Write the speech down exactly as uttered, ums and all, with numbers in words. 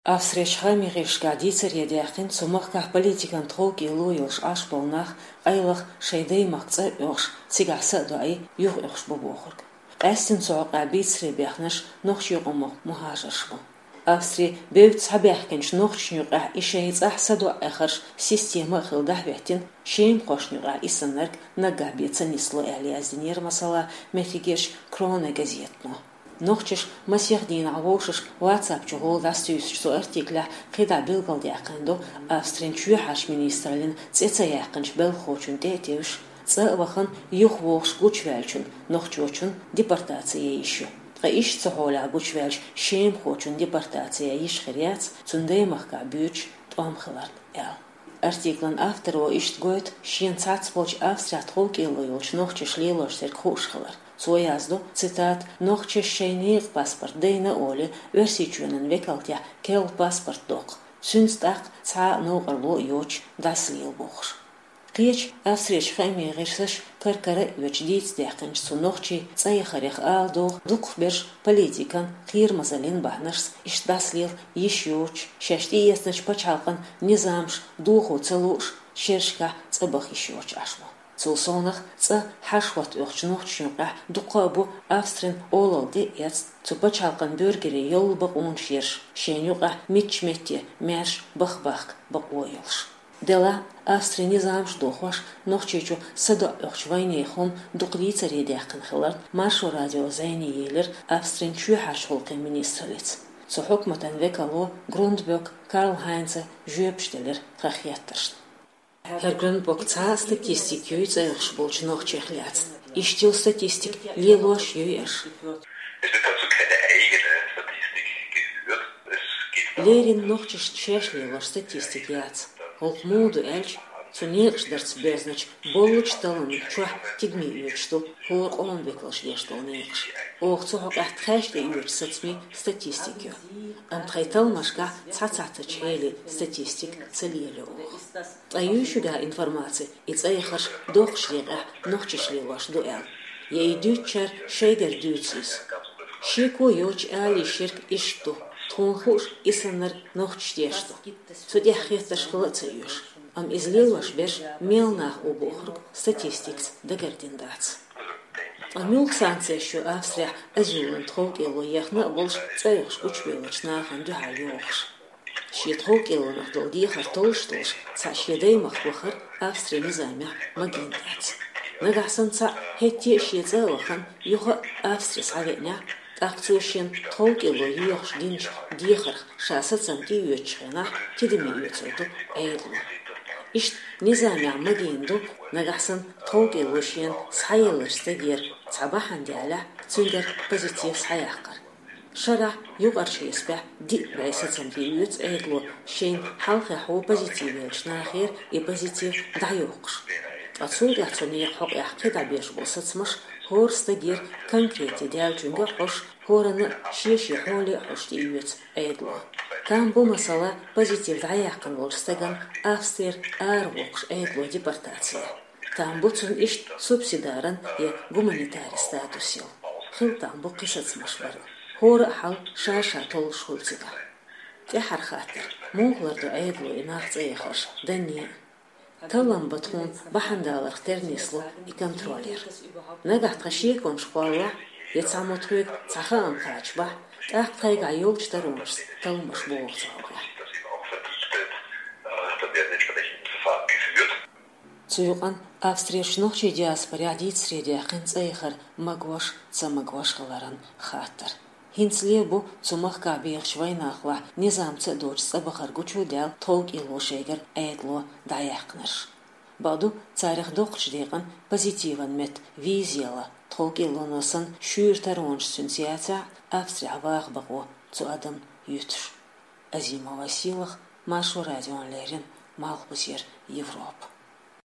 Австрерчу хаамийн гӀирсашкахь дийцаре даьккхина цу махкахь политикан тховкӀело йолуш Ӏаш болу нах, къайлаха шайн даймахка цӀа а оьхуш, цигахь са а доӀий, юха оьхуш бу бохург. Къаьсттина цу хьокъехь бийцаре баьхнарш нохчийн къомах мухӀажарш бу. Австри бевдда схьабаьхкинчу нохчашна юкъахь и шайн цӀахь садоӀа эхарш система а хилла дӀахӀоьттина, шемахошна юкъахь и саннарг наггахь бен ца нисло аьлла яздинера, масала, меттигерчу Кроне газетано. Нохчаша масех дийнахь вовшашка WhatsApp чу гӀолла дӀасатуьйсучу цу артиклехь кхидӀа билгалдаьккхина ду Австрин чоьхьарчу министраллин цӀе ца яьккхинчу белхахочунна тӀе а тевжаш, цӀа а вахана, юхавогӀуш гучуваьллачунна, нохчочунна депортаци ян йиш ю. Ткъа иштта цу хьолехь гучуваьллачу шемахочунна депортаци ян йиш хир яц, цунна даймахкахь буьйцуш тӀом хиларна аьлла. Артиклан авторо иштта гойту шена цхьацболчу Австрехь тховкӀело йолчу нохчаша лелош дерг хууш хилар. Цо яздо, цитата: «Нохчаша шайн некъан паспорт дайна а олий, Оьрсийчоьнан векалтехь керла паспорт доккху, цуьнца тӀаккха цхьа а новкъарло а йоцуш дӀасалела», бохуш. Кхечу Австрерчу хаамийн гӀирсаша кар-кара а оьцуш дийца даьккхинчу цу нохчийн цӀа яхарех ала догӀу, дукхахберш политикан, кхерамазаллин бахьанашца иштта дӀасалела йиш йоцуш, шаьш тӀеэцначу пачхьалкхан низамаш дохо ца лууш, шерашкахь цӀа баха йиш йоцуш Ӏаш бу. Цул совнаха цӀа хьаша хӀотта оьхучу нохчашна юкъахь дуккха а бу Австрин олалла тӀе а эцна, цу пачхьалкхан буьргерийн йолу бакъонаш ерш, шайна юкъахь муьлххачу метте маьрша баха бахка бакъо йолуш. Делахь а Австрин низамаш дохош, Нохчийчу садоӀа оьхучу вайнехан хӀума дукха дийцаре даьккхина хиларна, Маршо радио зӀене елира Австрин чоьхьарчу гӀуллакхийн министраллица. Цу хьукматан векало Грундбек Карл-Хайнца жоьпаш делира тхан хеттаршна. ХӀара Грундбек, цхьа а статистика юй цӀа оьхуш болчу нохчех лаьцна? Иштта йолу статистика лелош юй аша? Es wird dazu keine eigene Statistik geführt. Es geht darum, Леррина нохчашна шаьш лелош статистика яц. ХӀокху муха ду аьлча, цу некъаш дарца боьзначу боллучу талламна чохь тидаме оьцуш ду хӀора къоман векалша деш долу некъаш. Оха цу хьокъехь тхаьш тӀеоьцучу сацамийн статистика ю. Амма тхайн талламашкахь цхьа цхьацачу хьеле статистика ца лелайо оха. Ткъа юй шуьга информаци, и цӀа яхарш доккхачу декъехь нохчаша лелош ду аьлла? Я и дуьйцучара шайгара дуьйцу иза? Шеко йоцуш ала йиш ерг иштта ду: тхуна хууш, и саннарг нохчаша деш ду. Цу тӀехь хеттарш хила а ца оьшу. Амма иза лелош берш мел нах бу бохург статистикаца дагардина дац. Ткъа муьлха санкцеш ю Австрехь азилан тховкӀело ехна а болуш, цӀа оьхуш гучубевллачу нахана дуьхьал йохуш? Шен тховкӀелонах долу дехар толлуш долуш, цхьаъ шен даймахка вахара Австрин низамехь магийна дац. Нагахь санна цхьаъ хӀетте а шен цӀа а вахана, юха а Австри схьавеанехь, тӀаккха цо шен тховкӀело йоьхуш динчу дехарх ша сацам тӀеоьцучу хенахь тидаме оьцур ду Ӏедало. Иштта низамехь магийна ду, нагахь санна тховкӀело шена схьаеллачу стагера цхьа бахьана делахь, цуьнгара позитив схьаяккхар. Шарахь юкъарчу хьесапехь диъ бӀе сацам тӀеоьцу Ӏедало, шайна хьалххехь позитив еллачу нахера и позитив дӀайоккхуш. Ткъа цул тӀаьхьа цу некъан хьокъехь кхидӀа беш болу сацамаш хӀора стагера конкретно даьллачуьнга а хьожуш, хӀоранна а шен-шен хьоле а хьожуш тӀеоьцу Ӏедало. Там бу, масала, позитив дӀаяьккхина волчу стагана Австрера аравоккхуш Ӏедало депортаци. Там бу цунна иштта субсидаран я гуманитаран статус йолу. Хила там бу кхин сацамаш бар а. ХӀора а хьал ша-ша толлуш хуьлу цигахь. ТӀаьххьара хаттар: муха лардо Ӏедало и нах цӀа яхарш, данне а? Таллам бан тхуна бахьана даларх тера нисло и контроль яр. Нагахь тхан шеконаш кхоллахь, я цхьаммо тхоьга цхьа хаам кхачабахь, тӀаккха тхайгахь йолчу таронашца талламаш богӀу цу хьокъехь. Цу юкъана Австрерчу нохчийн диаспорехь дийцаре даьккхина цӀа яхар магош, ца магош хиларан хаттар. ХӀинцале бу цу махкахь бехачу вайнахалахь низам ца доцуш цӀа бахар гучудаьлла тховкӀело шайгара Ӏедало дӀаяьккхинарш. Бакъду, царах доккхачу декъана позитиван метта виза елла, тховкӀелоно санна шуьйра таронаш цуьнца яцахь а, Австрехь ваха бакъо цу адамна юьтуш. Азимова Сийлаха, Маршо радиона леррина, Малхбузера Европа.